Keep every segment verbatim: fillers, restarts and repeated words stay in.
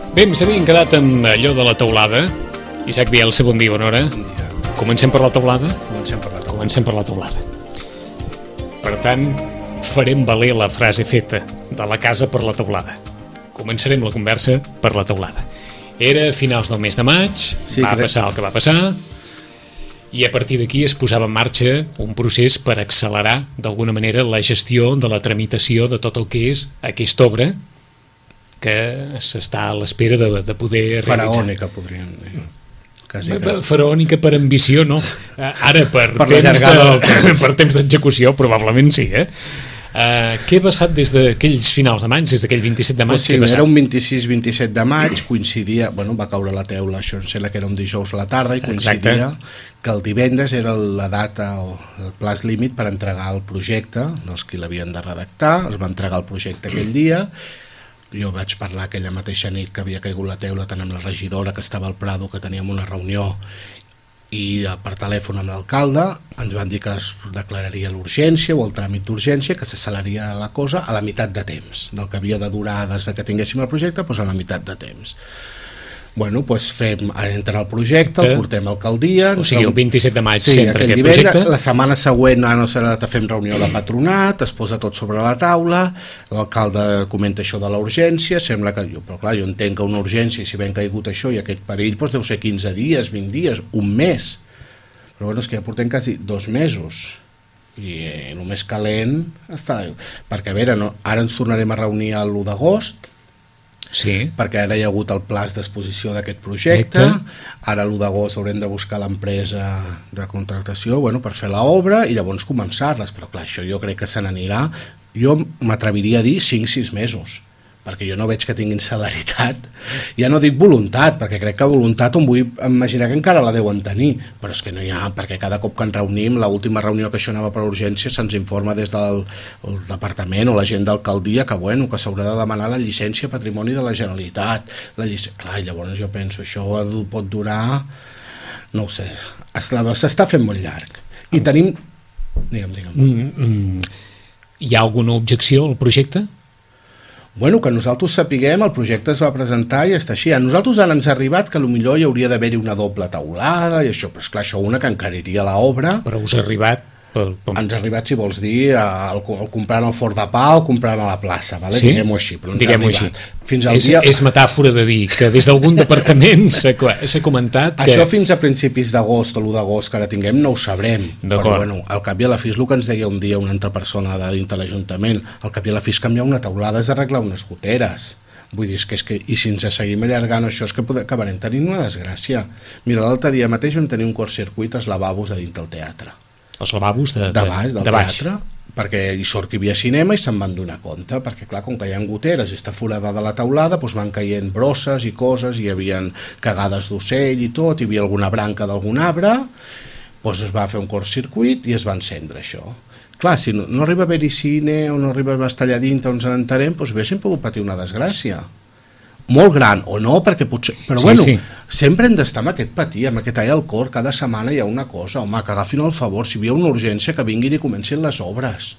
Bé, ens havíem quedat amb allò de la teulada. Isaac Bielsa, bon dia, bona hora. Bon dia. Comencem per la teulada? Comencem per la teulada. Comencem per la teulada. Per tant, farem valer la frase feta de la casa per la teulada. Començarem la conversa per la teulada. Era a finals del mes de maig, sí, va crec... passar el que va passar, i a partir d'aquí es posava en marxa un procés per accelerar d'alguna manera la gestió de la tramitació de tot el que és aquesta obra que s'està a l'espera de, de poder realitzar. Faraònica, podríem dir. Quasi, quasi. Faraònica per ambició, no. Ara per, per temps, de, per temps d'execució probablement sí, eh? Uh, què ha passat des d'aquells finals de maig, des d'aquell vint-i-set de maig? Pues sí, era un vint-i-sis vint-i-set de maig, coincidia, bueno, va caure la teula, això em sembla que era un dijous a la tarda, i coincidia Exacte. que el divendres era la data o el plaç límit per entregar el projecte dels qui l'havien de redactar. Es va entregar el projecte aquell dia. Jo vaig parlar aquella mateixa nit que havia caigut la teula tant amb la regidora, que estava al Prado, que teníem una reunió, i per telèfon amb l'alcalde ens van dir que es declararia l'urgència o el tràmit d'urgència, que s'acceleraria la cosa a la meitat de temps del que havia de durar des que tinguéssim el projecte, doncs a la meitat de temps. Bueno, doncs fem, entra el projecte, el portem a alcaldia. O sigui, el vint-i-set de maig sí, s'entra aquest divendres, projecte. La setmana següent, ara no serà, fem reunió de patronat, es posa tot sobre la taula, l'alcalde comenta això de la urgència, sembla que, jo, però clar, jo entenc que una urgència, si ben caigut això i aquest perill, doncs deu ser quinze dies, vint dies, un mes. Però bueno, és que ja portem quasi dos mesos. I eh, el més calent està... Perquè, a veure, no, ara ens tornarem a reunir l'u d'agost, sí. perquè ara hi ha hagut el plaç d'exposició d'aquest projecte. Ara l'u d'agost haurem de buscar l'empresa de contractació, bueno, per fer l'obra i llavors començar-les, però clar, això jo crec que se n'anirà, jo m'atreviria a dir cinc sis mesos, perquè jo no veig que tinguin celeritat. Ja no dic voluntat, perquè crec que voluntat em vull imaginar que encara la deuen tenir, però és que no hi ha, perquè cada cop que ens reunim, l'última reunió que això anava per urgència, se'ns informa des del departament o la gent d'alcaldia que, bueno, que s'haurà de demanar la llicència patrimoni de la Generalitat. La llic... Clar, llavors jo penso, això pot durar, no ho sé, s'està fent molt llarg. I tenim... Digue'm, digue'm. Mm, mm. Hi ha alguna objecció al projecte? Bueno, que nosaltres sapiguem, el projecte es va presentar i està així. A nosaltres ara ens ha arribat que potser hi hauria d'haver-hi una doble teulada i això, però esclar, això una que encariria l'obra. Però us ha arribat... Pel, pel... Ens ha arribat, si vols dir, el, el comprant al Fort de Pau o comprant a la plaça, vale? Sí? Diguem-ho així, però ens Diguem-ho ha arribat. Així. Fins al és, dia... és metàfora de dir que des d'algun departament s'ha comentat que... Això fins a principis d'agost o l'u d'agost que ara tinguem no ho sabrem, però bueno, al cap i a la fi és el que ens deia un dia una altra persona de dintre l'Ajuntament, al cap i a la fi és canviar una teulada és arreglar unes goteres. Vull dir, és que, és que, i si ens seguim allargant això és que poder, acabarem tenint una desgràcia. Mira, l'altre dia mateix vam tenir un curtcircuit als lavabos de dintre del teatre. Els lavabos de, de, de baix, del de baix. teatre, perquè hi sort que hi havia cinema i se'n van donar compte, perquè clar, com que hi ha goteres i està forada de la teulada, doncs van caient brosses i coses, hi havia cagades d'ocell i tot, hi havia alguna branca d'algun arbre, doncs es va fer un curtcircuit i es va encendre això. Clar, si no, no arriba a haver-hi cine o no arriba a estar allà dintre on ens n'entarem, doncs haguéssim pogut patir una desgràcia. Molt gran, o no, perquè potser... Però sí, bueno, sí. Sempre hem d'estar amb aquest patir, amb aquest all al cor, cada setmana hi ha una cosa, home, que agafin el favor, si hi ha una urgència que vinguin i comencin les obres.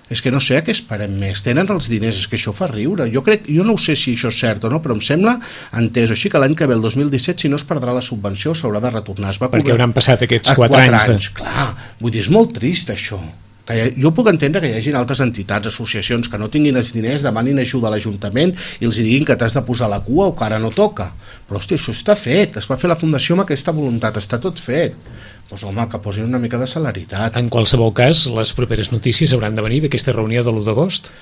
És que no sé a què esperem més, tenen els diners, és que això fa riure. Jo crec, jo no ho sé si això és cert o no, però em sembla entès així que l'any que ve, el dos mil disset, si no es perdrà la subvenció, s'haurà de retornar. Es va perquè cobrar... hauran passat aquests quatre, quatre anys. anys de... Clar, vull dir, és molt trist això. Que ha, jo puc entendre que hi hagi altres entitats, associacions que no tinguin els diners, demanin ajuda a l'Ajuntament i els diguin que t'has de posar la cua o que ara no toca, però hòstia, això està fet, es va fer la fundació amb aquesta voluntat, està tot fet, doncs home, que posin una mica de celeritat. En qualsevol cas, les properes notícies hauran de venir d'aquesta reunió de l'u d'agost?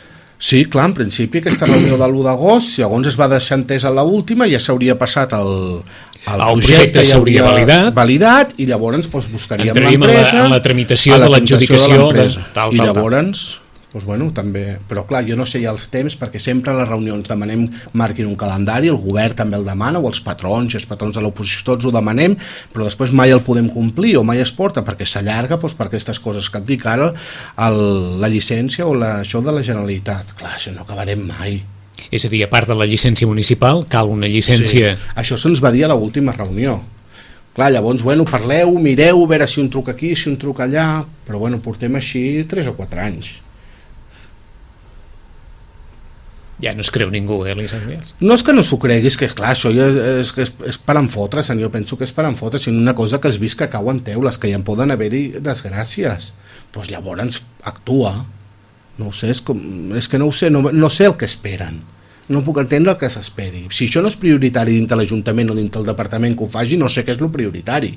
Sí, clar, en principi aquesta reunió de l'u d'agost, si llavors es va deixar entès a l'última, ja s'hauria passat el, el, el projecte, projecte s'hauria validat. validat i llavors doncs, buscaríem l'empresa l'empresa en la tramitació de l'adjudicació de, de, tal, i tal, llavors doncs, bueno, també, però clar, jo no sé ja els temps perquè sempre a les reunions demanem marquin un calendari, el govern també el demana o els patrons i els patrons de l'oposició tots ho demanem, però després mai el podem complir o mai es porta perquè s'allarga doncs, per aquestes coses que et dic ara el, la llicència o la, això de la Generalitat, clar, això no acabarem mai. És a dir, a part de la llicència municipal cal una llicència... Sí, això se'ns va dir a l'última reunió. Clar, llavors, bueno, parleu, mireu, a veure si un truc aquí, si un truc allà, però bueno, portem així tres o quatre anys. Ja no es creu ningú, eh, l'Isaac Vials? No és que no s'ho cregui, és que clar, això ja és, és, és per enfotre's, jo penso que és per enfotre's, sinó una cosa que has vist que cau en teules, que ja en poden haver-hi desgràcies. Doncs pues llavors actua. No ho sé, és, com, és que no ho sé, no, no sé el que esperen. No puc entendre el que s'esperi. Si això no és prioritari dintre l'Ajuntament o dintre el departament que ho faci, no sé què és el prioritari.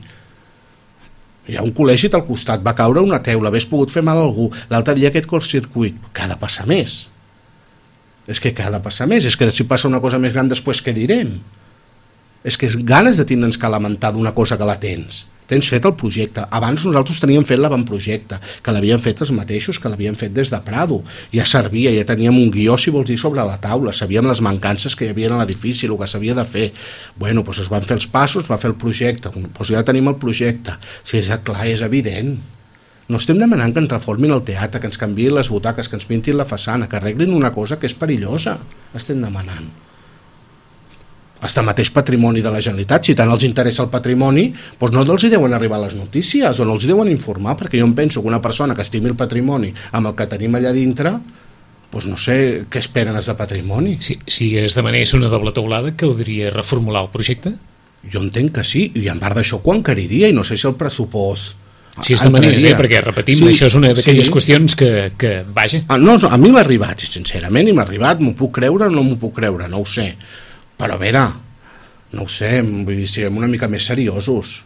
Hi ha un col·legi al costat, va caure una teula, hagués pogut fer mal a algú, l'altre dia aquest cortcircuit, que ha de passar més. És que ha de passar més, és que si passa una cosa més gran després què direm? És que és ganes de tindre'ns que lamentar d'una cosa que la tens. Tens fet el projecte. Abans nosaltres teníem fet l'avantprojecte, que l'havien fet els mateixos, que l'havien fet des de Prado. Ja servia, ja teníem un guió, si vols dir, sobre la taula, sabíem les mancances que hi havia a l'edifici, el que s'havia de fer. Bueno, doncs es van fer els passos, es va fer el projecte, doncs ja tenim el projecte. Si és clar, és evident. No estem demanant que ens reformin el teatre, que ens canviïn les butaques, que ens pintin la façana, que arreglin una cosa que és perillosa. Estem demanant. Hasta mateix patrimoni de la Generalitat, si tant els interessa el patrimoni, doncs no els hi deuen arribar les notícies o no els hi deuen informar, perquè jo em penso que una persona que estimi el patrimoni amb el que tenim allà dintre, doncs no sé què esperen els de patrimoni. Si, si es demanés una doble teulada, caldria reformular el projecte? Jo entenc que sí, i en part d'això quan encariria, i no sé si el pressupost... Si és de manera, eh? Perquè repetim, sí, això és una d'aquelles sí. qüestions que, que vaja. Ah, no, no, a mi m'ha arribat, sincerament, i m'ha arribat, m'ho puc creure o no m'ho puc creure, no ho sé. Però a veure, no ho sé, vull dir, siguem una mica més seriosos.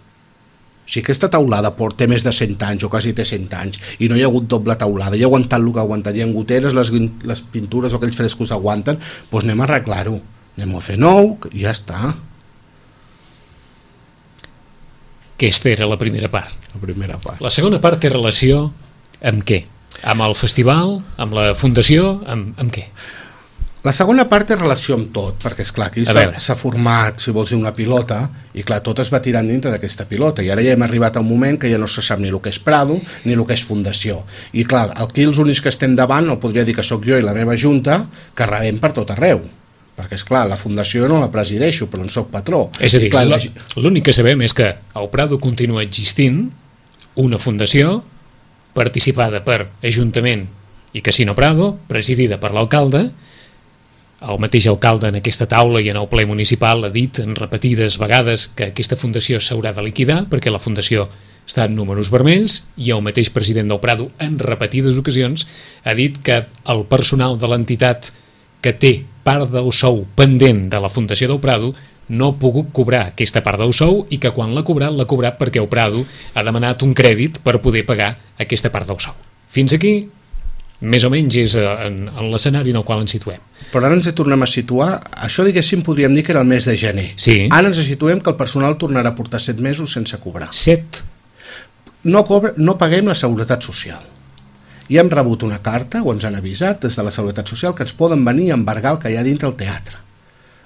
Si aquesta taulada té més de cent anys o quasi té cent anys i no hi ha hagut doble taulada, i ha aguantat el que ha aguantat, i en goteres les, les pintures o aquells frescos aguanten, doncs anem a arreglar-ho, anem a fer nou i ja està. Aquesta era la primera part. La primera part. La segona part té relació amb què? Amb el festival? Amb la fundació? Amb, amb què? La segona part té relació amb tot, perquè és clar, aquí s'ha format, si vols dir, una pilota, i clar, tot es va tirant dintre d'aquesta pilota, i ara ja hem arribat a un moment que ja no se sap ni el que és Prado ni el que és fundació. I clar, aquí els únics que estem davant, el podria dir que sóc jo i la meva junta, que rebem per tot arreu. Perquè, és clar, la fundació no la presideixo, però en soc patró. És a dir, clar, la... l'únic que sabem és que al Prado continua existint una fundació participada per Ajuntament i Casino Prado, presidida per l'alcalde. El mateix alcalde en aquesta taula i en el ple municipal ha dit en repetides vegades que aquesta fundació s'haurà de liquidar perquè la fundació està en números vermells, i el mateix president del Prado en repetides ocasions ha dit que el personal de l'entitat que té part del sou pendent de la Fundació del Prado no ha pogut cobrar aquesta part del sou, i que quan l'ha cobrat, l'ha cobrat perquè el Prado ha demanat un crèdit per poder pagar aquesta part del sou. Fins aquí, més o menys, és en, en l'escenari en el qual ens situem. Però ara ens tornem a situar, això diguéssim podríem dir que era el mes de gener. Sí. Ara ens situem que el personal tornarà a portar set mesos sense cobrar. Set? No, cobra, no paguem la Seguretat Social. I hem rebut una carta, o ens han avisat des de la Seguretat Social, que ens poden venir a embargar el que hi ha dintre el teatre.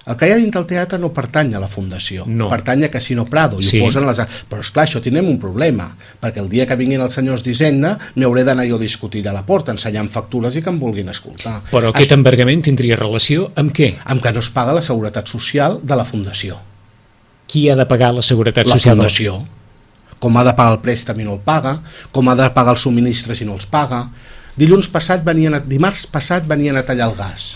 El que hi ha dintre el teatre no pertany a la fundació, no. Pertany a Casino Prado, i sí. ho posen les... Però esclar, això tenim un problema, perquè el dia que vinguin els senyors d'Hisenda m'hi hauré d'anar jo a discutir a la porta, ensenyant factures i que em vulguin escoltar. Però aquest això... embargament tindria relació amb què? Amb que no es paga la Seguretat Social de la fundació. Qui ha de pagar la Seguretat la Social? La fundació. Com ha de pagar el préstec i no el paga, com ha de pagar els subministres i no els paga. Dilluns passat venien a, dimarts passat venien a tallar el gas.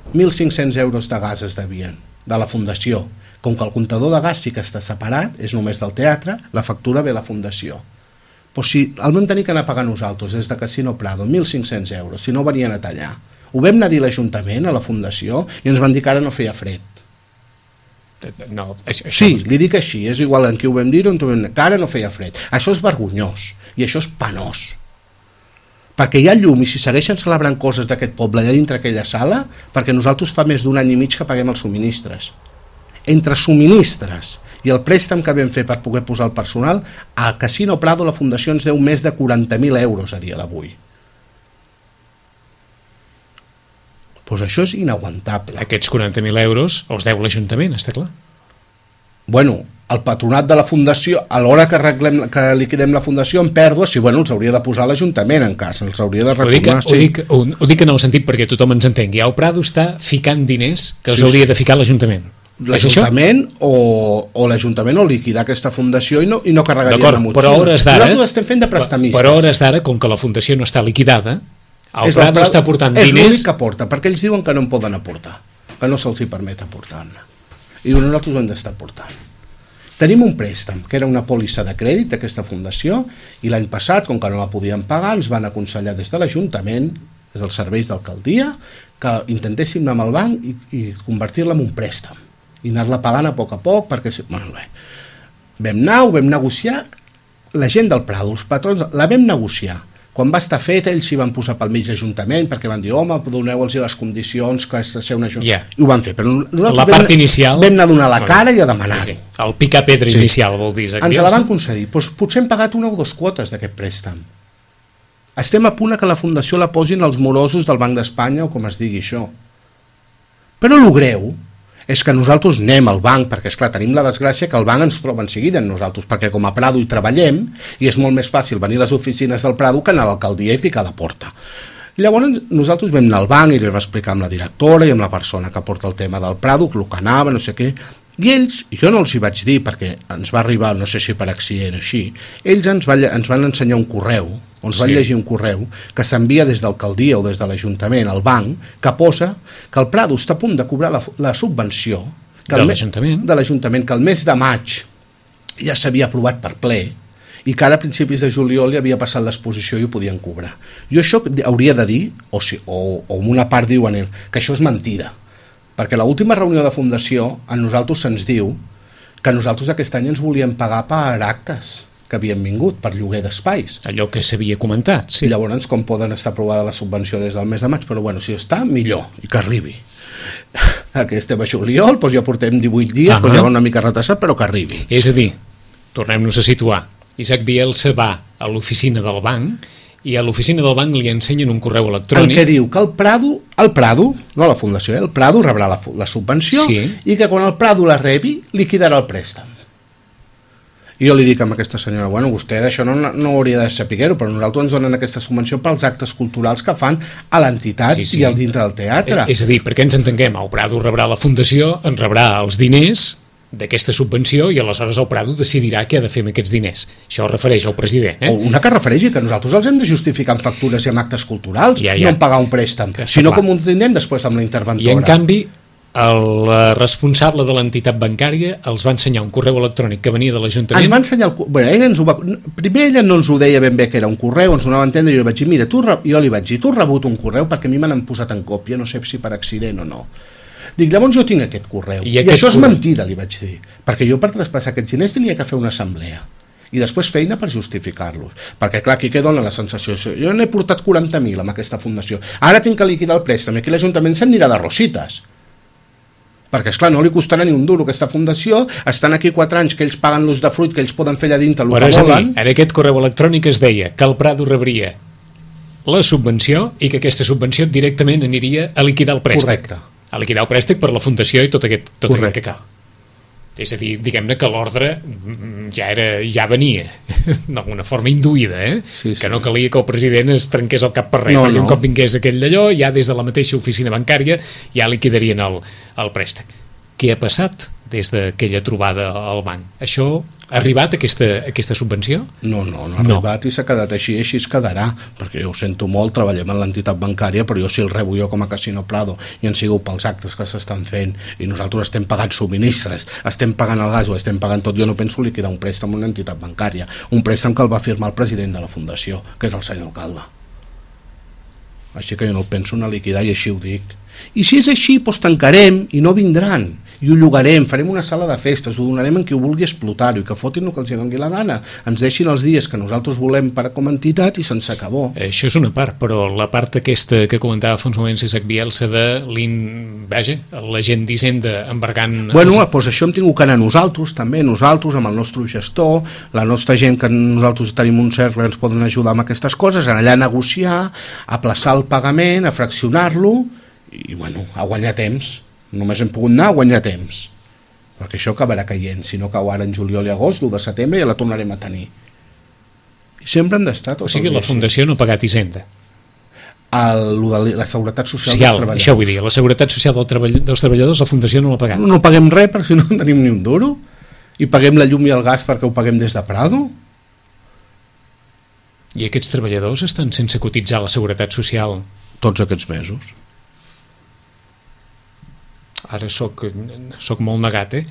mil cinc-cents euros de gas es devien, de la fundació. Com que el comptador de gas sí que està separat, és només del teatre, la factura ve a la fundació. Però si el vam tenir que anar a pagar nosaltres des de Casino Prado, mil cinc-cents euros, si no venien a tallar. Ho vam anar a dir a l'Ajuntament, a la fundació, i ens van dir que ara no feia fred. No, això, això... Sí, li dic així, és igual en qui ho vam dir o en qui ho vam dir, que ara no feia fred. Això és vergonyós i això és penós, perquè hi ha llum, i si segueixen celebrant coses d'aquest poble allà dintre aquella sala, perquè nosaltres fa més d'un any i mig que paguem els subministres. Entre subministres i el préstec que vam fer per poder posar el personal, a Casino Prado la fundació ens deu més de quaranta mil euros a dia d'avui. Doncs això és inaguantable. Aquests quaranta mil euros els deu l'Ajuntament, està clar. Bueno, el patronat de la fundació, a l'hora que, arreglem, que liquidem la fundació en pèrdues, sí, bueno, els hauria de posar l'Ajuntament en cas, els hauria de retornar. Ho dic, sí. ho, dic, ho, ho dic en el sentit perquè tothom ens entengui. El Prado està ficant diners que els sí, hauria sí. de ficar l'Ajuntament. L'Ajuntament o, o l'Ajuntament o liquidar aquesta fundació i no, i no carregaria la motxilla. Però a hores d'ara, nosaltres estem fent de prestamistes. Però a hores d'ara, com que la fundació no està liquidada, El Prado està aportant diners... És l'únic que aporta, perquè ells diuen que no en poden aportar, que no se'ls hi permet aportar-ne. I nosaltres ho hem d'estar aportant. Tenim un préstec, que era una pòlissa de crèdit d'aquesta fundació, i l'any passat, com que no la podien pagar, ens van aconsellar des de l'Ajuntament, des dels serveis d'alcaldia, que intentéssim anar amb el banc i, i convertir-la en un préstec, i anar-la pagant a poc a poc, perquè... Bueno, bé. Vam anar, ho vam negociar, la gent del Prado, els patrons, la vam negociar. Quan va estar fet, ells s'hi van posar pel mig l'Ajuntament, perquè van dir, home, doneu-los les condicions que has de ser un ajuntament. Yeah. I ho van fer. Però la part vam, inicial... Vam anar a donar la cara i a demanar. Sí. El picar pedra sí. inicial, vol dir. Ens la van concedir. Pues, potser hem pagat una o dues quotes d'aquest préstec. Estem a punt que la Fundació la posin als morosos del Banc d'Espanya, o com es digui això. Però el greu és que nosaltres anem al banc, perquè esclar, tenim la desgràcia que el banc ens troba en seguida en nosaltres, perquè com a Prado hi treballem i és molt més fàcil venir a les oficines del Prado que anar a l'alcaldia i picar la porta. Llavors nosaltres vam anar al banc i li vam explicar amb la directora i amb la persona que porta el tema del Prado, el que anava, no sé què, i ells, jo no els hi vaig dir perquè ens va arribar, no sé si per accident o així, ells ens, va, ens van ensenyar un correu, on ens van sí. llegir un correu que s'envia des d'alcaldia o des de l'Ajuntament al banc, que posa que el Prado està a punt de cobrar la, la subvenció que de l'Ajuntament de l'Ajuntament, que el mes de maig ja s'havia aprovat per ple i que ara a principis de juliol ja havia passat l'exposició i ho podien cobrar. Jo això hauria de dir, o, si, o, o una part diuen que això és mentida, perquè a l'última reunió de fundació a nosaltres se'ns diu que nosaltres aquest any ens volíem pagar per actes que havien vingut per lloguer d'espais. Allò que s'havia comentat, sí. I llavors com poden estar aprovada la subvenció des del mes de maig, però bueno, si està, millor, i que arribi. Aquí estem a juliol, doncs ja portem divuit dies, uh -huh. doncs ja va una mica retrasat, però que arribi. És a dir, tornem-nos a situar, Isaac Bielsa va a l'oficina del banc i a l'oficina del banc li ensenyen un correu electrònic... En què diu que el Prado, el Prado, no la fundació, eh, el Prado rebrà la, la subvenció sí. i que quan el Prado la rebi liquidarà el préstec. I jo li dic a aquesta senyora, bueno, vostè d'això no, no hauria de saber-ho, però nosaltres ens donen aquesta subvenció pels actes culturals que fan a l'entitat sí, sí. i al dintre del teatre. És a dir, perquè ens entenguem, el Prado rebrà la fundació, en rebrà els diners d'aquesta subvenció i aleshores el Prado decidirà què ha de fer amb aquests diners. Això es refereix al president. Eh? O una que refereixi que nosaltres els hem de justificar amb factures i amb actes culturals, ja, ja. no en pagar un préstec, sinó com ho tindrem després amb la interventora. I en canvi... el responsable de l'entitat bancària els va ensenyar un correu electrònic que venia de l'Ajuntament. Ens va ensenyar el... Bueno, ella ens ho va... Primer ella no ens ho deia ben bé que era un correu, ens ho anava a entendre i jo li vaig dir, mira, tu, jo li vaig dir, tu has rebut un correu perquè a mi me n'han posat en còpia, no sé si per accident o no. Dic, llavors jo tinc aquest correu. I, I aquest això és correu... mentida, li vaig dir, perquè jo per traspassar aquests diners tenia que fer una assemblea i després feina per justificar-los, perquè clar, aquí què dona la sensació? Jo n'he portat quaranta mil amb aquesta fundació, ara tinc que liquidar el préstec, aquí l'Ajuntament s'anirà de rosites, perquè esclar, no li costarà ni un duro aquesta fundació, estan aquí quatre anys que ells paguen l'ús de fruit que ells poden fer allà dintre el Però que volen. Dir, en aquest correu electrònic es deia que el Prado rebria la subvenció i que aquesta subvenció directament aniria a liquidar el préstec. Correcte. A liquidar el préstec per la fundació i tot aquest, tot aquest que cal. És a dir, diguem-ne que l'ordre ja era ja venia d'alguna forma induïda, eh? Sí, sí. Que no calia que el president es trenqués el cap per res, no, perquè no. Un cop vingués aquell d'allò, ja des de la mateixa oficina bancària ja liquidarien el, el préstec. Què ha passat des d'aquella trobada al banc? Això ha arribat, aquesta, aquesta subvenció? No, no, no ha no. arribat i s'ha quedat així, així es quedarà, perquè jo ho sento molt, treballem en l'entitat bancària, però jo si el rebo jo com a Casino Prado i en sigo pels actes que s'estan fent i nosaltres estem pagant subministres, estem pagant el gas o estem pagant tot, jo no penso liquidar un préstec en una entitat bancària, un préstec que el va firmar el president de la fundació, que és el senyor alcalde. Així que jo no el penso anar a liquidar i així ho dic. I si és així, doncs tancarem i no vindran. I ho llogarem, farem una sala de festes, ho donarem en qui ho vulgui explotar-ho i que fotin el que els doni la gana. Ens deixin els dies que nosaltres volem per com a entitat i se'ns acabó. Això és una part, però la part aquesta que comentava fa uns moments Isaac Bielsa de l'in... Vaja, la gent d'Hisenda embargant... Bueno, els... doncs això hem tingut que anar nosaltres, també, nosaltres, amb el nostre gestor, la nostra gent que nosaltres tenim un cercle que ens poden ajudar amb aquestes coses, anar allà a negociar, a plaçar el pagament, a fraccionar-lo i, bueno, a guanyar temps. Només hem pogut anar a guanyar temps, perquè això acabarà caient, si no cau ara en juliol i agost, l'u de setembre ja la tornarem a tenir. I sempre han d'estar tots. O sigui, la Fundació no ha pagat Hisenda. El, de la Seguretat Social, Social dels Treballadors. Això vull dir, la Seguretat Social del treball, dels Treballadors, la Fundació no l'ha pagat. No, no paguem res perquè si no tenim ni un duro, i paguem la llum i el gas perquè ho paguem des de Prado. I aquests treballadors estan sense cotitzar a la Seguretat Social? Tots aquests mesos. Ara soc, soc molt negat, eh?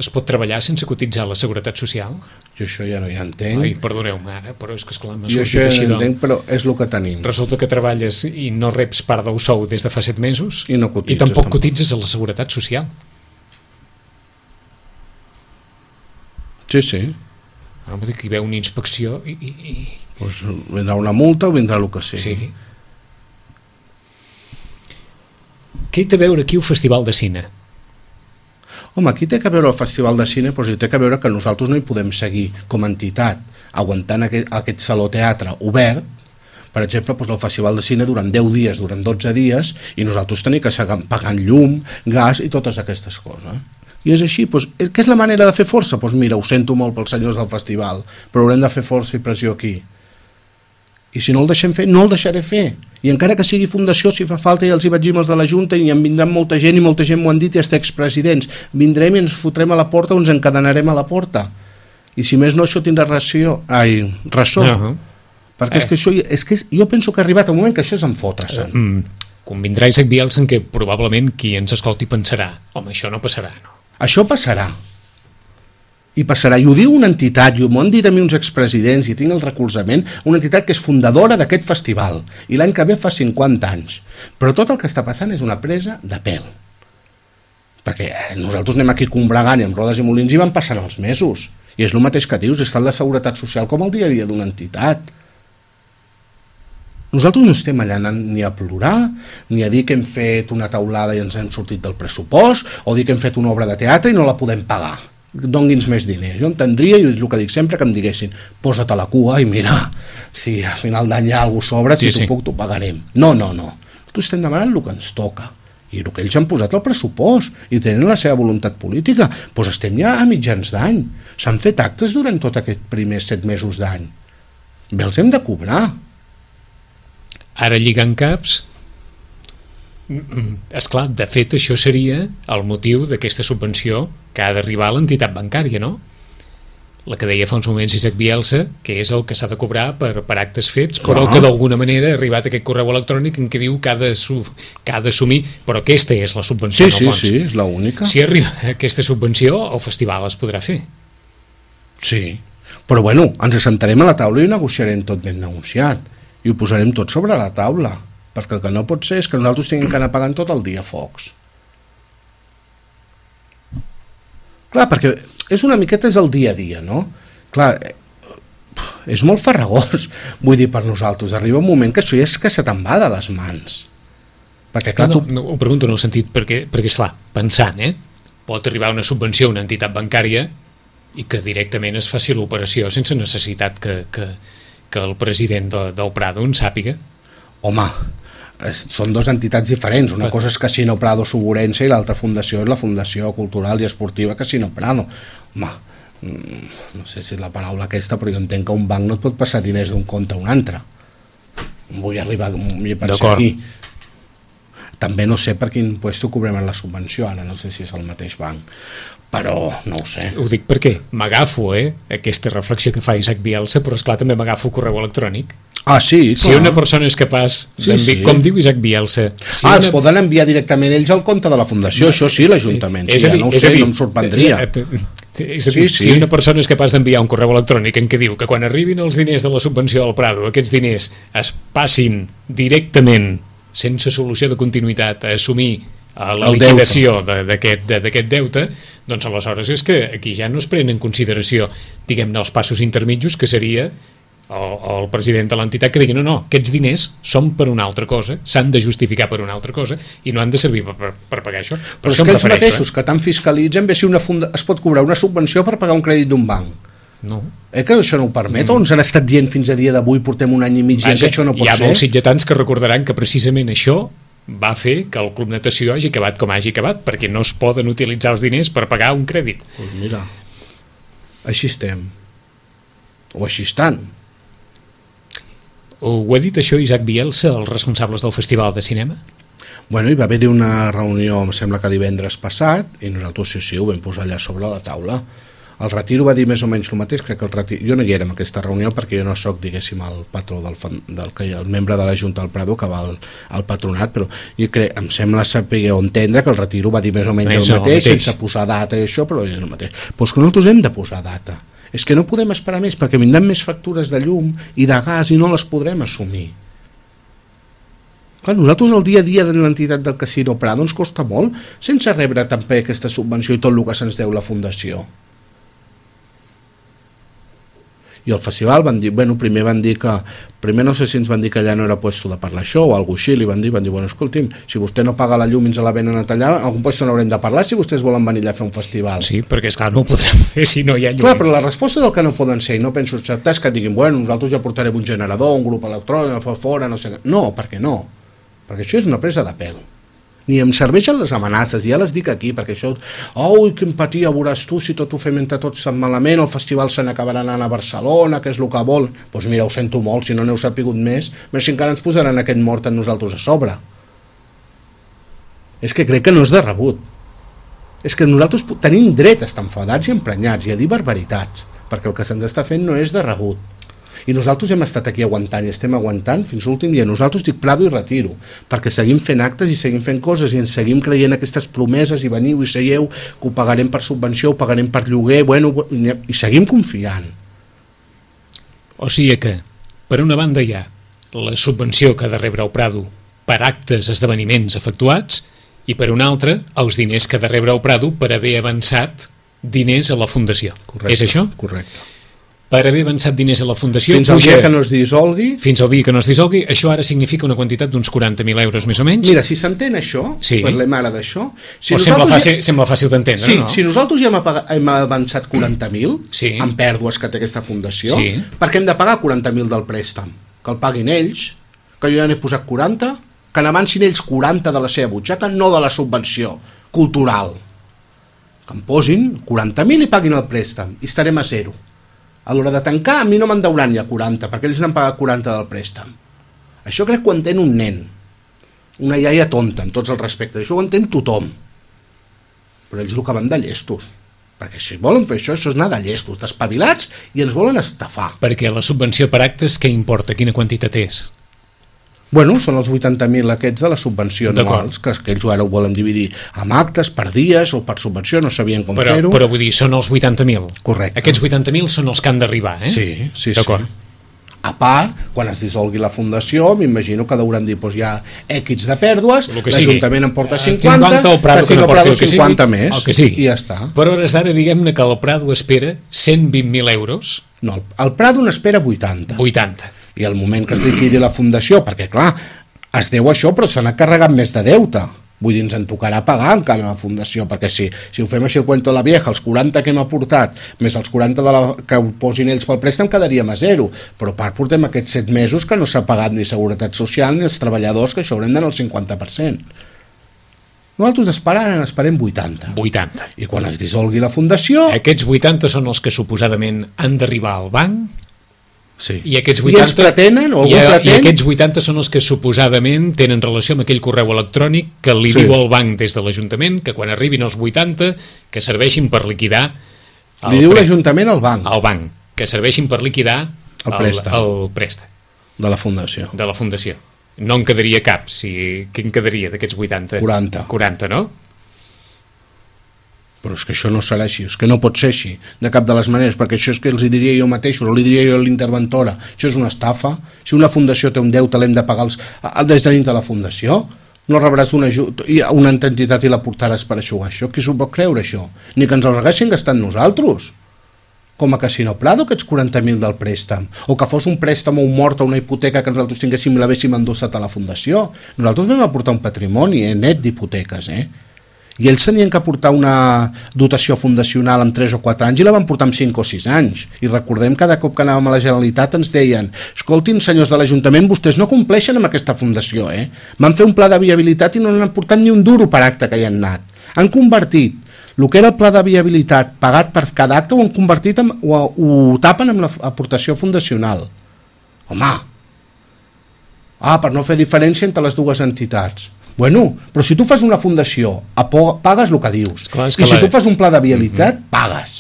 Es pot treballar sense cotitzar a la Seguretat Social? Jo això ja no hi entenc. Ai, perdoneu-me ara, però és que esclar, m'ha jo sortit això així. Ja no entenc, però és el que tenim. Resulta que treballes i no reps part del sou des de fa set mesos i, no cotitzes, i tampoc, tampoc cotitzes a la Seguretat Social. Sí, sí. Ah, vull dir que hi veu una inspecció i... i, i... Pues vindrà una multa o vindrà el que sigui. Sí. Què hi té a veure aquí el Festival de Cine? Home, aquí té que veure el Festival de Cine, però hi té que veure que nosaltres no hi podem seguir com a entitat, aguantant aquest, aquest saló teatre obert, per exemple, doncs el Festival de Cine durant deu dies, durant dotze dies, i nosaltres tenim que seguir pagant llum, gas i totes aquestes coses. I és així, doncs, què és la manera de fer força? Doncs mira, ho sento molt pels senyors del festival, però haurem de fer força i pressió aquí. I si no el deixem fer, no el deixaré fer. I encara que sigui fundació, si fa falta, i els hi vaig dir als de la Junta, i en vindran molta gent, i molta gent m'ho han dit, i els expresidents. Vindrem i ens fotrem a la porta o ens encadenarem a la porta. I si més no, això tindrà ració. Ai, ressò. Uh -huh. Perquè eh. és que això, és que és, jo penso que ha arribat un moment que això és en fotre-se'n. Uh, mm, convindrà Isaac Bielsa en què probablement qui ens escolti pensarà home, això no passarà, no? Això passarà. I passarà, i ho diu una entitat, i m'ho han dit a mi uns expresidents, i tinc el recolzament, una entitat que és fundadora d'aquest festival, i l'any que ve fa cinquanta anys. Però tot el que està passant és una presa de pèl. Perquè nosaltres anem aquí combregant i amb rodes i molins i van passant els mesos. I és el mateix que dius, està en la Seguretat Social com el dia a dia d'una entitat. Nosaltres no estem allà ni a plorar, ni a dir que hem fet una taulada i ens hem sortit del pressupost, o dir que hem fet una obra de teatre i no la podem pagar. Dongui'ns més diners. Jo entendria, i és el que dic sempre, que em diguessin posa't a la cua i mira, si al final d'any hi ha alguna cosa sobre, si sí, t'ho sí. puc, t'ho pagarem. No, no, no. Tu estem demanant el que ens toca. I el que ells han posat al pressupost i tenen la seva voluntat política. Doncs estem ja a mitjans d'any. S'han fet actes durant tot aquests primers set mesos d'any. Bé, els hem de cobrar. Ara lligant caps... Esclar, de fet això seria el motiu d'aquesta subvenció que ha d'arribar a l'entitat bancària, no? La que deia fa uns moments Isaac Bielsa, que és el que s'ha de cobrar per, per actes fets, clar, però que d'alguna manera ha arribat aquest correu electrònic en què diu que ha d'assumir, però aquesta és la subvenció, sí, en el fons. Sí, sí, és l'única. Si arriba aquesta subvenció, el festival es podrà fer. Sí, però bueno, ens assentarem a la taula i ho negociarem tot ben negociat, i ho posarem tot sobre la taula, perquè el que no pot ser és que nosaltres tinguem que anar pagant tot el dia focs. Clar, perquè és una miqueta és el dia a dia, no? Clar, és molt farragós, vull dir, per nosaltres. Arriba un moment que això ja és que se te'n va de les mans. Perquè, clar, no, tu... no, ho pregunto en el sentit, perquè, perquè esclar, pensant, eh? Pot arribar una subvenció a una entitat bancària i que directament es faci l'operació sense necessitat que, que, que el president de, del Prado en sàpiga. Home, són dues entitats diferents. Una cosa és Casino Prado Suburense i l'altra fundació és la Fundació Cultural i Esportiva Casino Prado. Home, no sé si és la paraula aquesta, però jo entenc que un banc no et pot passar diners d'un compte a un altre. Vull arribar a pensar aquí. També no sé per quin puesto cobrem en la subvenció, ara no sé si és el mateix banc, però no ho sé. Ho dic perquè m'agafo, eh, aquesta reflexió que fa Isaac Bielsa, però esclar també m'agafo correu electrònic. Ah, sí, clar. Si una persona és capaç sí, sí. com diu Isaac Bielsa... Si ah, una... els poden enviar directament ells al compte de la fundació, no, això sí, l'Ajuntament, sí, ja no ho sé, dir, no em sorprendria. És a dir, sí, sí. Si una persona és capaç d'enviar un correu electrònic en què diu que quan arribin els diners de la subvenció al Prado, aquests diners es passin directament, sense solució de continuïtat, a assumir a la el liquidació d'aquest de, de, deute, doncs aleshores és que aquí ja no es prenen en consideració, diguem-ne, els passos intermitjos, que seria el, el president de l'entitat que digui no, no, aquests diners són per una altra cosa, s'han de justificar per una altra cosa i no han de servir per, per, per pagar això. Per Però això és que ells mateixos eh? que tant fiscalitzen, bé, si una funda... es pot cobrar una subvenció per pagar un crèdit d'un banc. No. Eh que això no ho permet? Mm. O ens han estat dient fins a dia d'avui, portem un any i mig dient que això no pot ser? Hi ha molts sitgetans que recordaran que precisament això va fer que el Club Natació hagi acabat com hagi acabat, perquè no es poden utilitzar els diners per pagar un crèdit. Pues mira, així estem. O així estan. Ho ha dit això Isaac Bielsa, els responsables del Festival de Cinema? Bueno, hi va haver una reunió, em sembla que divendres passat, i nosaltres sí, sí, ho vam posar allà sobre la taula. El Retiro va dir més o menys el mateix, crec que el Retiro... Jo no hi era en aquesta reunió perquè jo no sóc, diguéssim, el patró del, del, del el membre de la Junta del Prado que va al, al patronat, però jo crec, em sembla saber o entendre que el Retiro va dir més o menys el mateix, el mateix, sense posar data i això, però és el mateix. Però és que nosaltres hem de posar data. És que no podem esperar més perquè vindran més factures de llum i de gas i no les podrem assumir. Clar, nosaltres el dia a dia de l'entitat del Casino Prado ens costa molt sense rebre també aquesta subvenció i tot el que se'ns deu la fundació. I el festival van dir, bueno, primer van dir que, primer no sé si ens van dir que allà no era puesto de parlar això o alguna així, li van dir, van dir, bueno, escolti'm, si vostè no paga la llum i ens la venen a tallar, en algun puesto n'haurem de parlar si vostès volen venir allà a fer un festival. Sí, perquè esclar, no ho podrem fer si no hi ha llum. Clar, però la resposta del que no poden ser, i no penso acceptar, és que diguin, bueno, nosaltres ja portarem un generador, un grup electrònic, fa fora, no sé què. No, perquè no, perquè això és una presa de pèl. Ni em serveixen les amenaces, ja les dic aquí, perquè això, oi, que empatia veuràs tu si tot ho fem entre tots tan malament, el festival se n'acabarà anant a Barcelona, que és el que vol. Doncs pues mira, ho sento molt, si no n'heu sapigut més, més si encara ens posaran aquest mort en nosaltres a sobre. És que crec que no és de rebut. És que nosaltres tenim dret a estar enfadats i emprenyats i a dir barbaritats, perquè el que se'ns està fent no és de rebut. I nosaltres hem estat aquí aguantant i estem aguantant fins l'últim dia. Nosaltres dic Prado i Retiro, perquè seguim fent actes i seguim fent coses i ens seguim creient aquestes promeses i veniu i seieu, que ho pagarem per subvenció, ho pagarem per lloguer, bueno, i seguim confiant. O sigui que, per una banda hi ha la subvenció que ha de rebre el Prado per actes, esdeveniments efectuats, i per una altra, els diners que ha de rebre el Prado per haver avançat diners a la Fundació. Correcte, és això? Correcte. Per haver avançat diners a la Fundació... Fins al dia que no es dissolgui... Fins al dia que no es dissolgui, això ara significa una quantitat d'uns quaranta mil euros més o menys? Mira, si s'entén això, sí. Parlem ara d'això... Si o sembla fàcil, ja... sembla fàcil d'entendre, sí, no? Si nosaltres ja hem, apagat, hem avançat quaranta mil sí. en pèrdues que té aquesta fundació, sí. per què hem de pagar quaranta mil del préstec? Que el paguin ells, que jo ja n'he posat quaranta, que n'avancin ells quaranta de la seva butxaca, no de la subvenció cultural. Que em posin quaranta mil i paguin el préstec, i estarem a zero. A l'hora de tancar, a mi no me'n deuran ja quaranta, perquè ells n'han pagat quaranta del préstec. Això crec que ho entén un nen, una iaia tonta, en tots els respectes, això ho entén tothom. Però ells el que van de llestos, perquè si volen fer això, això és anar de llestos, d'espavilats, i ens volen estafar. Perquè la subvenció per actes, què importa? Quina quantitat és? Bueno, són els vuitanta mil aquests de la subvenció anuals, que, que ells ara ho volen dividir amb actes, per dies o per subvenció, no sabien com però, fer-ho. Però vull dir, són els vuitanta mil. Correcte. Aquests vuitanta mil són els que han d'arribar, eh? Sí, sí, d'acord. Sí. A part, quan es dissolgui la fundació, m'imagino que hauran dit, doncs hi ha X de pèrdues, l'Ajuntament en porta cinquanta, cinquanta el Prado que no porti el que cinquanta sigui, més, el que sigui. I ja està. Per hores d'ara, diguem-ne que el Prado espera cent vint mil euros. No, el Prado n'espera vuitanta. vuitanta. I el moment que es liquidi la fundació, perquè clar, es deu això, però se n'ha carregat més de deute. Vull dir, ens en tocarà pagar encara la fundació, perquè si, si ho fem així el cuento de la vieja, els quaranta que hem aportat, més els quaranta de la, que ho posin ells pel préstec, quedaríem a zero. Però a part portem aquests set mesos que no s'ha pagat ni Seguretat Social ni els treballadors, que això haurem d'anar al cinquanta per cent. Nosaltres esperant, esperem vuitanta. vuitanta. I quan es dissolgui la fundació... Aquests vuitanta són els que suposadament han d'arribar al banc. Sí. I aquests vuitanta, I ells pretenen, o algú i, pretén... I aquests vuitanta són els que suposadament tenen relació amb aquell correu electrònic que li sí. diu al banc des de l'Ajuntament que quan arribin els vuitanta que serveixin per liquidar... Li diu l'Ajuntament al banc. Al banc, que serveixin per liquidar el préstec. El, el préstec. De la fundació. De la fundació. No en quedaria cap, si... Què en quedaria d'aquests vuitanta? quaranta. quaranta, no? Però és que això no serà així, és que no pot ser així, de cap de les maneres, perquè això és que els hi diria jo mateix, o li diria jo a l'interventora, això és una estafa. Si una fundació té un deute, l'hem de pagar els, des de dintre de la fundació, no rebràs una, una entitat i la portaràs per aixugar això. Qui s'ho pot creure, això? Ni que ens el haguessin gastat nosaltres, com a Casino Prado, aquests quaranta mil del préstec, o que fos un préstec o un mort o una hipoteca que nosaltres tinguéssim i l'haguéssim endossat a la fundació. Nosaltres vam aportar un patrimoni eh, net d'hipoteques, eh? I ells tenien que aportar una dotació fundacional en tres o quatre anys i la van portar en cinc o sis anys. I recordem que cada cop que anàvem a la Generalitat ens deien, escoltin, senyors de l'Ajuntament, vostès no compleixen amb aquesta fundació, eh? Van fer un pla de viabilitat i no n'han portat ni un duro per acte que hi han anat. Han convertit el que era el pla de viabilitat pagat per cada acte, ho han convertit en, ho, ho tapen amb l'aportació fundacional. Home! Ah, per no fer diferència entre les dues entitats. Bueno, però si tu fas una fundació, pagues el que dius. Clar, que I si la... tu fas un pla de viabilitat, uh-huh. pagues.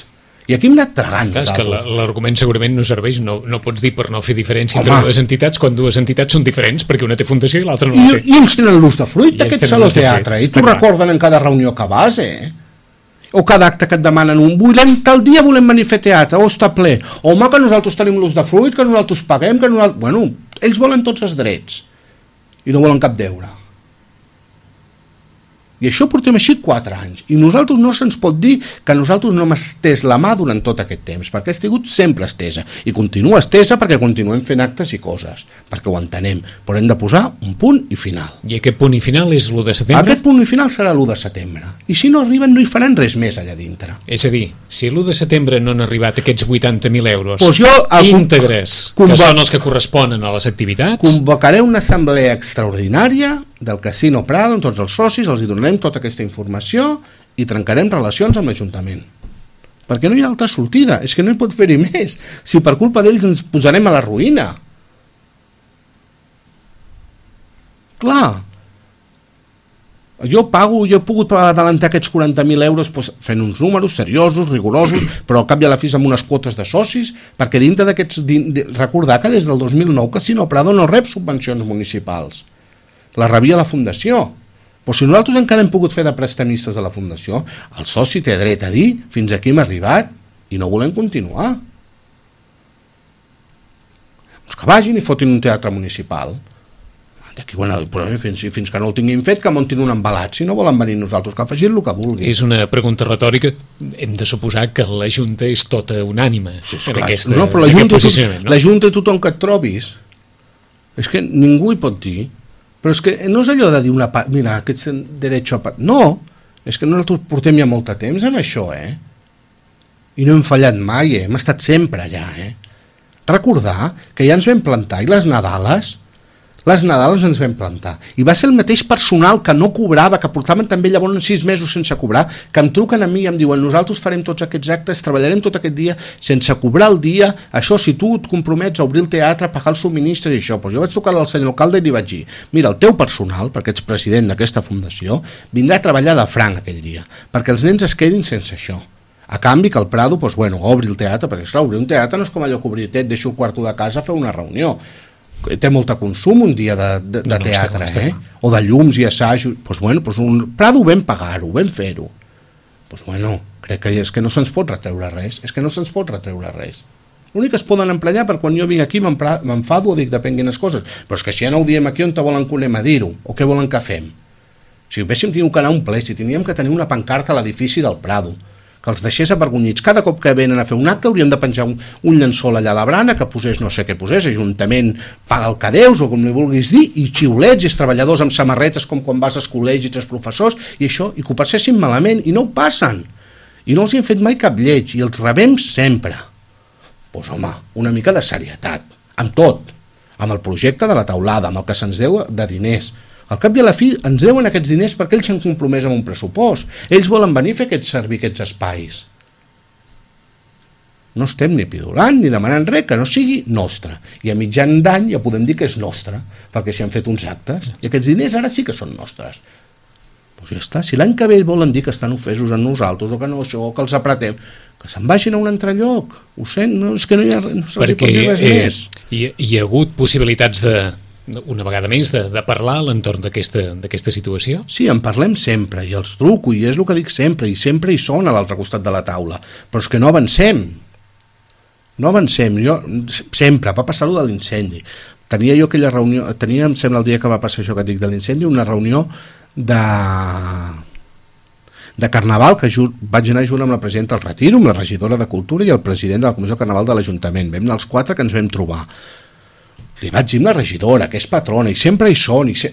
I aquí hem anat tragant. Clar, és que l'argument segurament no serveix, no, no pots dir per no fer diferència Home. entre dues entitats quan dues entitats són diferents, perquè una té fundació i l'altra no I, la té. I ells tenen l'ús de fruit d'aquest saló teatre, i t'ho clar. recorden en cada reunió que vas, eh? O cada acte que et demanen un, volem, tal dia volem venir a fer teatre, o està ple, home, que nosaltres tenim l'ús de fruit, que nosaltres paguem, que nosaltres... Bueno, ells volen tots els drets, i no volen cap deure. I això portem així quatre anys. I nosaltres no se'ns pot dir que nosaltres no hem estès la mà durant tot aquest temps, perquè ha estat sempre estesa. I continua estesa perquè continuem fent actes i coses, perquè ho entenem. Però hem de posar un punt i final. I aquest punt i final és l'u de setembre? Aquest punt i final serà l'u de setembre. I si no arriben, no hi faran res més allà dintre. És a dir, si l'u de setembre no han arribat aquests vuitanta mil euros pues jo, íntegres, que són els que corresponen a les activitats... Convocaré una assemblea extraordinària del Casino Prado amb tots els socis, els hi donarem tota aquesta informació i trencarem relacions amb l'Ajuntament. Perquè no hi ha altra sortida, és que no hi pot fer-hi més. Si per culpa d'ells ens posarem a la ruïna. Clar. Jo pago, jo he pogut adelantar aquests quaranta mil euros doncs, fent uns números seriosos, rigorosos, però al cap i a la fi amb unes quotes de socis, perquè dintre d'aquests... Recordar que des del dos mil nou Casino Prado no rep subvencions municipals. La rebia la Fundació. Però si nosaltres encara hem pogut fer de prestamistes de la Fundació, el soci té dret a dir fins aquí hem arribat i no volem continuar. Doncs que vagin i fotin un teatre municipal. D'aquí, bueno, fins, fins que no el tinguin fet, que muntin un embalat. Si no volen venir nosaltres, que facin el que vulguin. És una pregunta retòrica. Hem de suposar que la Junta és tota unànime sí, en clar, aquesta, no, però la aquest Junta, posicionament. No? La Junta i tothom que et trobis, és que ningú hi pot dir. Però és que no és allò de dir una part, mira, aquest dret a part. No, és que nosaltres portem ja molt de temps en això, eh? I no hem fallat mai, eh? Hem estat sempre allà, eh? Recordar que ja ens vam plantar i les Nadales, les Nadales ens vam plantar. I va ser el mateix personal que no cobrava, que portaven també llavors sis mesos sense cobrar, que em truquen a mi i em diuen nosaltres farem tots aquests actes, treballarem tot aquest dia sense cobrar el dia, això si tu et compromets a obrir el teatre, a pagar els subministres i això. Pues jo vaig trucar al senyor alcalde i li vaig dir, mira, el teu personal, perquè ets president d'aquesta fundació, vindrà a treballar de franc aquell dia, perquè els nens es quedin sense això. A canvi que el Prado, pues, bueno, obri el teatre, perquè esclar, obrir un teatre no és com allò que obrir, et deixo el quarto de casa a fer una reunió. Té molt de consum un dia de, de, de no, no, teatre, estem, estem. eh? O de llums i assajos. Pues bueno, pues un Prado vam pagar-ho, vam fer-ho. Pues bueno, crec que és que no se'ns pot retreure res, és que no se'ns pot retreure res. L'únic que es poden emprenyar per quan jo vinc aquí m'enfado o dic depèn quines coses, però és que si ja no ho diem aquí on te volen que anem a dir-ho, o què volen que fem? Si haguéssim tingut que anar a un ple, si teníem que tenir una pancarta a l'edifici del Prado, que els deixés avergonyits. Cada cop que venen a fer un acte hauríem de penjar un, un llençol allà a la brana, que posés no sé què posés, Ajuntament paga el que deus, o com li vulguis dir, i xiulets, i els treballadors amb samarretes com quan vas als col·legis, els professors, i això, i que ho passessin malament, i no ho passen. I no els hi hem fet mai cap lleig, i els rebem sempre. Doncs pues, home, una mica de serietat, amb tot, amb el projecte de la taulada, amb el que se'ns deu de diners. Al cap i a la fi ens deuen aquests diners perquè ells s'han compromès amb un pressupost. Ells volen venir a fer aquests servir aquests espais. No estem ni pidolant ni demanant res que no sigui nostre. I a mitjan d'any ja podem dir que és nostre, perquè s'hi han fet uns actes. I aquests diners ara sí que són nostres. Doncs ja està. Si l'any que ve volen dir que estan ofesos en nosaltres o que no això, o que els apretem, que se'n vagin a un altre lloc. Ho sent, no, és que no hi ha no se'ls pot dir res eh, més. Hi, hi ha hagut possibilitats de una vegada més, de, de parlar a l'entorn d'aquesta situació? Sí, en parlem sempre, i els truco, i és el que dic sempre, i sempre hi són a l'altre costat de la taula, però és que no avancem. No avancem. Jo, sempre, va passar allò de l'incendi. Tenia jo aquella reunió, tenia, em sembla, el dia que va passar això que dic de l'incendi, una reunió de... de Carnaval, que ju... vaig anar junt amb la presidenta del Retiro, amb la regidora de Cultura i el president de la Comissió de Carnaval de l'Ajuntament. Vam anar els quatre que ens vam trobar. Li vaig dir amb la regidora, que és patrona, i sempre hi són, i, se...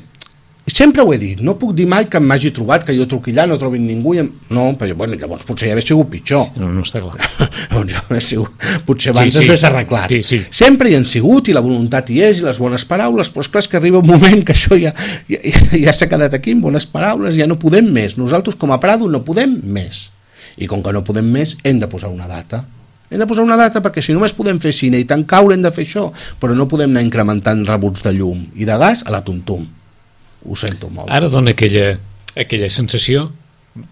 i sempre ho he dit, no puc dir mai que m'hagi trobat, que jo truqui allà, no trobin ningú, i em... no, però bueno, llavors potser ja hauria sigut pitjor. No, no està clar. Llavors ja hauria sigut... Potser abans sí, sí. es arreglat. Sí, sí. Sempre hi han sigut, i la voluntat hi és, i les bones paraules, però és clar que arriba un moment que això ja, ja, ja s'ha quedat aquí, amb bones paraules, ja no podem més. Nosaltres, com a Prado, no podem més. I com que no podem més, hem de posar una data. Hem de posar una data perquè si només podem fer cine i tant caure hem de fer això, però no podem anar incrementant rebuts de llum i de gas a la tum-tum. Ho sento molt. Ara dona aquella, aquella sensació,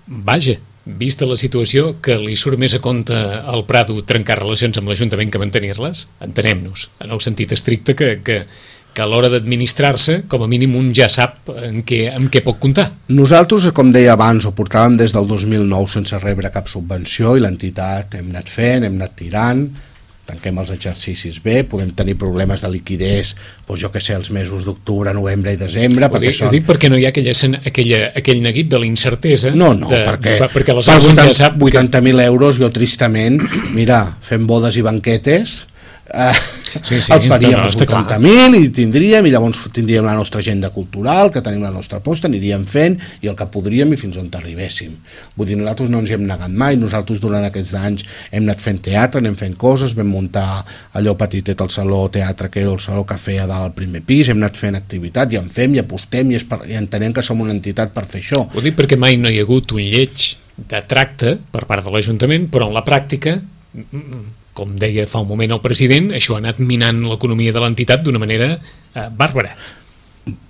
vaja, vista la situació, que li surt més a compte al Prado trencar relacions amb l'Ajuntament que mantenir-les? Entenem-nos, en el sentit estricte que, que, que a l'hora d'administrar-se, com a mínim un ja sap en què, en què pot comptar. Nosaltres, com deia abans, ho portàvem des del dos mil nou sense rebre cap subvenció i l'entitat hem anat fent, hem anat tirant, tanquem els exercicis bé, podem tenir problemes de liquidez, doncs jo que sé, els mesos d'octubre, novembre i desembre. Ho dic, són... ho dic perquè no hi ha aquella, aquella, aquell neguit de la incertesa. No, no, de, perquè, perquè les per vuitanta, ja sap vuitanta mil euros jo tristament, mira, fem bodes i banquetes, eh, sí, sí, els faríem no, no, vuitanta mil i tindríem, i llavors tindríem la nostra agenda cultural, que tenim la nostra posta, aniríem fent i el que podríem i fins on arribéssim. Vull dir, nosaltres no ens hi hem negat mai, nosaltres durant aquests anys hem anat fent teatre, anem fent coses, vam muntar allò petitet al saló teatre, que era el saló cafè a dalt al primer pis, hem anat fent activitat i en fem i apostem i, per, i entenem que som una entitat per fer això. Ho dic perquè mai no hi ha hagut un lleig de tracte per part de l'Ajuntament, però en la pràctica, com deia fa un moment el president, això ha anat minant l'economia de l'entitat d'una manera eh, bàrbara.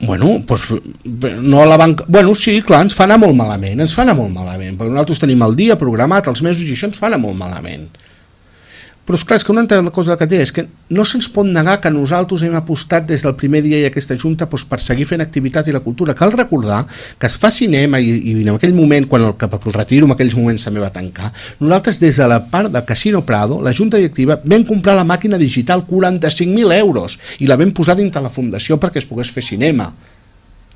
Bueno, doncs, no la banca... Bueno, sí, clar, ens fa anar molt malament, ens fa anar molt malament, perquè nosaltres tenim el dia programat, els mesos, i això ens fa anar molt malament. Però és clar, és que una altra cosa que té és que no se'ns pot negar que nosaltres hem apostat des del primer dia i aquesta junta doncs, per seguir fent activitat i la cultura. Cal recordar que es fa cinema i, i en aquell moment, quan el, el retiro en aquells moments també va tancar, nosaltres des de la part del Casino Prado, la junta directiva, vam comprar la màquina digital quaranta-cinc mil euros i la vam posar dintre la fundació perquè es pogués fer cinema.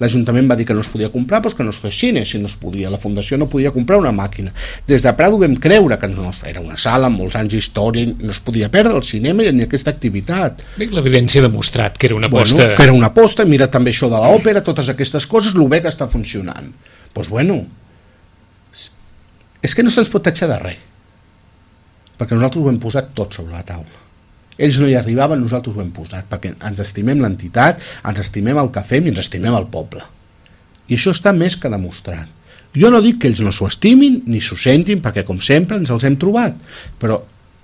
L'Ajuntament va dir que no es podia comprar, doncs que no es fes cine, si no es podia. La Fundació no podia comprar una màquina. Des de Prado vam creure que no, era una sala amb molts anys d'història, no es podia perdre el cinema ni aquesta activitat. Bé, l'evidència ha demostrat que era una aposta... Bueno, que era una aposta, mira també això de l'òpera, totes aquestes coses, el bé que està funcionant. Doncs bueno, és que no se'ns pot tatxar de res, perquè nosaltres ho hem posat tot sobre la taula. Ells no hi arribaven, nosaltres ho hem posat, perquè ens estimem l'entitat, ens estimem el que fem i ens estimem el poble. I això està més que demostrat. Jo no dic que ells no s'ho estimin ni s'ho sentin, perquè com sempre ens els hem trobat, però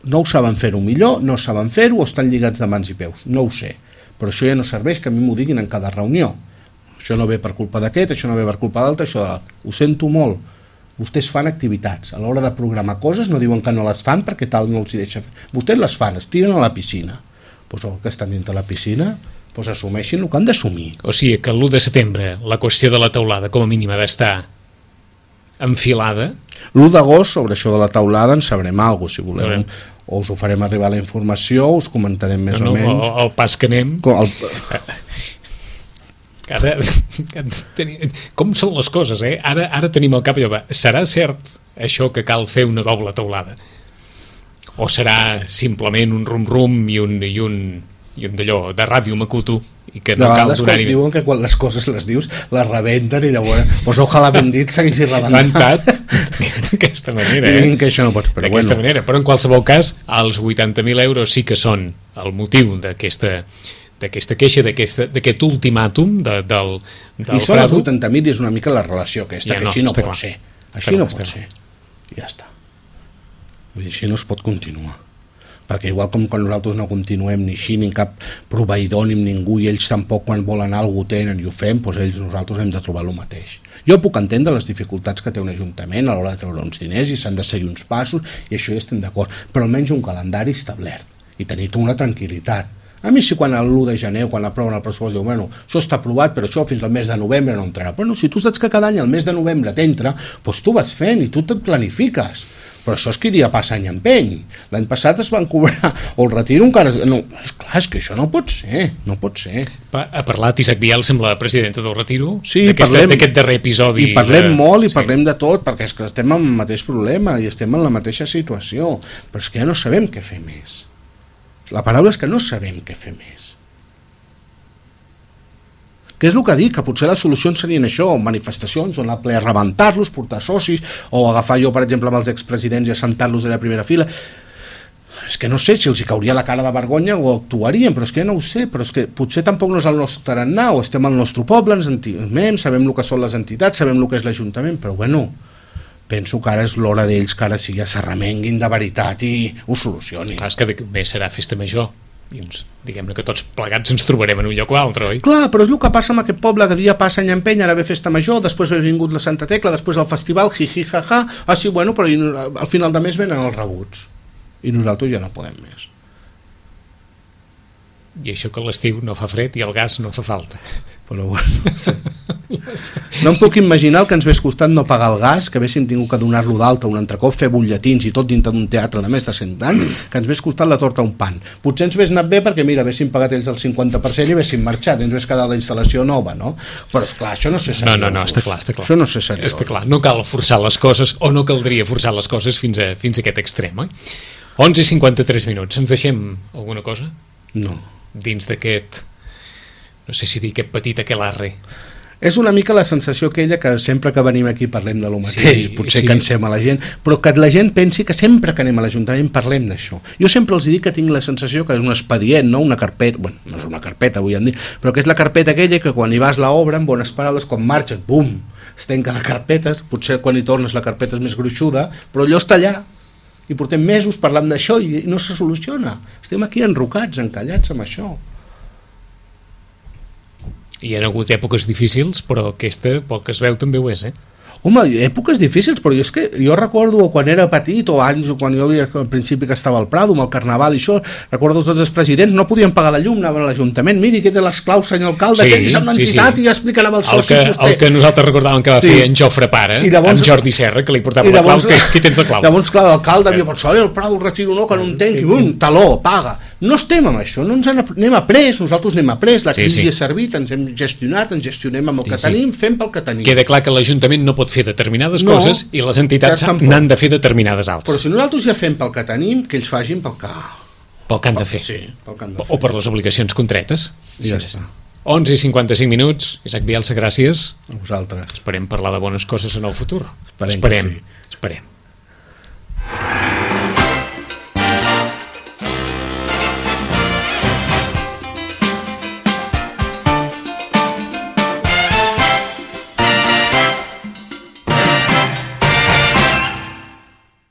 no ho saben fer-ho millor, no saben fer-ho o estan lligats de mans i peus, no ho sé. Però això ja no serveix que a mi m'ho diguin en cada reunió. Això no ve per culpa d'aquest, això no ve per culpa d'altre, això de... ho sento molt. Vostès fan activitats, a l'hora de programar coses no diuen que no les fan perquè tal no els hi deixa fer. Vostès les fan, es tiren a la piscina. Doncs el que estan dintre la piscina, doncs assumeixin el que han d'assumir. O sigui que l'u de setembre la qüestió de la teulada com a mínim ha d'estar enfilada. L'u d'agost sobre això de la teulada en sabrem alguna cosa, si voleu. O us ho farem arribar la informació, us comentarem més no, no, o menys. El, el pas que anem... Com, el... Ara, com són les coses, eh? Ara, ara tenim al cap allò, serà cert això que cal fer una doble teulada? O serà simplement un rum-rum i un, i un, i un d'allò de ràdio macuto i que no de cal donar-hi... Diuen que quan les coses les dius les rebenten i llavors, doncs ojalà ben dit segueixi rebentat d'aquesta manera, eh? Que això no pots, però d'aquesta bueno. manera, però en qualsevol cas els vuitanta mil euros sí que són el motiu d'aquesta d'aquesta queixa, d'aquest ultimàtum de, del, del i són Prado. els vuitanta mil i és una mica la relació aquesta, ja, que no, així no pot clar. ser així clar, no pot ser i ja està, vull dir, així no es pot continuar, perquè igual com quan nosaltres no continuem ni així, ni cap proveïdor ni ningú, i ells tampoc quan volen alguna cosa tenen i ho fem, doncs ells nosaltres hem de trobar el mateix. Jo puc entendre les dificultats que té un ajuntament a l'hora de treure uns diners i s'han de seguir uns passos i això ja estem d'acord, però almenys un calendari establert i tenir una tranquil·litat. A mi sí, quan l'u de gener, quan aproven el pressupost, diu, bueno, això està aprovat, però això fins al mes de novembre no entrarà. Bueno, si tu saps que cada any al mes de novembre t'entra, doncs tu vas fent i tu te't planifiques. Però això és que dia passa any empeny. L'any passat es van cobrar, o el retiro encara... No, esclar, és que això no pot ser, no pot ser. Ha parlat Isaac Vial, sembla la presidenta del retiro, sí, d'aquest darrer episodi. I parlem de... molt i sí. parlem de tot, perquè és que estem en el mateix problema i estem en la mateixa situació, però és que ja no sabem què fer més. La paraula és que no sabem què fer més. Què és el que dic? Que potser les solucions serien això, manifestacions on la ple a rebentar-los, portar socis, o agafar jo, per exemple, amb els expresidents i assentar-los a la primera fila. És que no sé si els hi cauria la cara de vergonya o actuarien, però és que no ho sé, però és que potser tampoc no és el nostre tarannà, o estem al nostre poble, ens entimem, sabem el que són les entitats, sabem el que és l'Ajuntament, però bueno... penso que ara és l'hora d'ells que ara sí ja s'arremenguin de veritat i ho solucionin. Clar, és que d'aquí un mes serà festa major i ens, diguem-ne que tots plegats ens trobarem en un lloc o altre, oi? Clar, però és el que passa amb aquest poble, que dia passa any empeny, ara ve festa major, després ha vingut la Santa Tecla, després el festival, jiji, jaja, ah sí, bueno, però al final de mes venen els rebuts i nosaltres ja no podem més. I això que l'estiu no fa fred i el gas no fa falta. Però bueno, sí. No em puc imaginar el que ens hagués costat no pagar el gas, que haguéssim tingut que donar-lo d'alta un altre cop, fer butlletins i tot dintre d'un teatre de més de cent anys, que ens hagués costat la torta un pan. Potser ens hagués anat bé perquè, mira, haguéssim pagat ells el cinquanta per cent i haguéssim marxat, ens hagués quedat la instal·lació nova, no? Però esclar, això no sé seriós. No, no, no, està clar, està clar. Això no sé seriós. Està clar, no cal forçar les coses, o no caldria forçar les coses fins a, fins a aquest extrem, oi? onze i cinquanta-tres minuts, ens deixem alguna cosa? No. Dins d'aquest, no sé si dir aquest petit aquelarre. És una mica la sensació aquella que sempre que venim aquí parlem de lo mateix, sí, potser sí. Cansem a la gent, però que la gent pensi que sempre que anem a l'Ajuntament parlem d'això. Jo sempre els dic que tinc la sensació que és un expedient, no una carpeta, bueno, no és una carpeta avui en dia, però que és la carpeta aquella que quan hi vas l'obra, amb bones paraules, quan marxes, bum, es tanca la carpeta, potser quan hi tornes la carpeta és més gruixuda, però allò està allà, i portem mesos parlant d'això i no se soluciona. Estem aquí enrocats, encallats amb això. Hi ha hagut èpoques difícils, però aquesta, pel que es veu, també ho és, eh? Home, èpoques difícils, però jo, és que jo recordo quan era petit o anys, o quan jo havia, al principi que estava al Prado amb el Carnaval i això, recordo tots els presidents no podien pagar la llum, anaven a l'Ajuntament, miri que té les claus, senyor alcalde, sí, que és una entitat sí, sí. I ja explicarà amb els socis el que, vostè. El que nosaltres recordàvem que va sí. fer en Jofre Pare, llavors, amb Jordi Serra, que li portava llavors, la clau, qui, qui tens la clau? Llavors, clar, l'alcalde havia pensat, oi, el Prado el retiro no, que no entenc, i bum, taló, paga. No estem amb això, no ens anem a pres, nosaltres anem a pres, la crisi sí, sí. ha servit, ens hem gestionat, ens gestionem amb el sí, que tenim, sí. fem pel que tenim. Queda clar que l'Ajuntament no pot fer determinades no, coses i les entitats n'han de fer determinades altres. Però si nosaltres ja fem pel que tenim, que ells facin pel que... Pel que han de fer. Sí, pel que han de fer. O per les obligacions contretes. I ja està. onze i cinquanta-cinc minuts. Isaac Bielsa, gràcies. A vosaltres. Esperem parlar de bones coses en el futur. Esperem, Esperem. que sí. Esperem.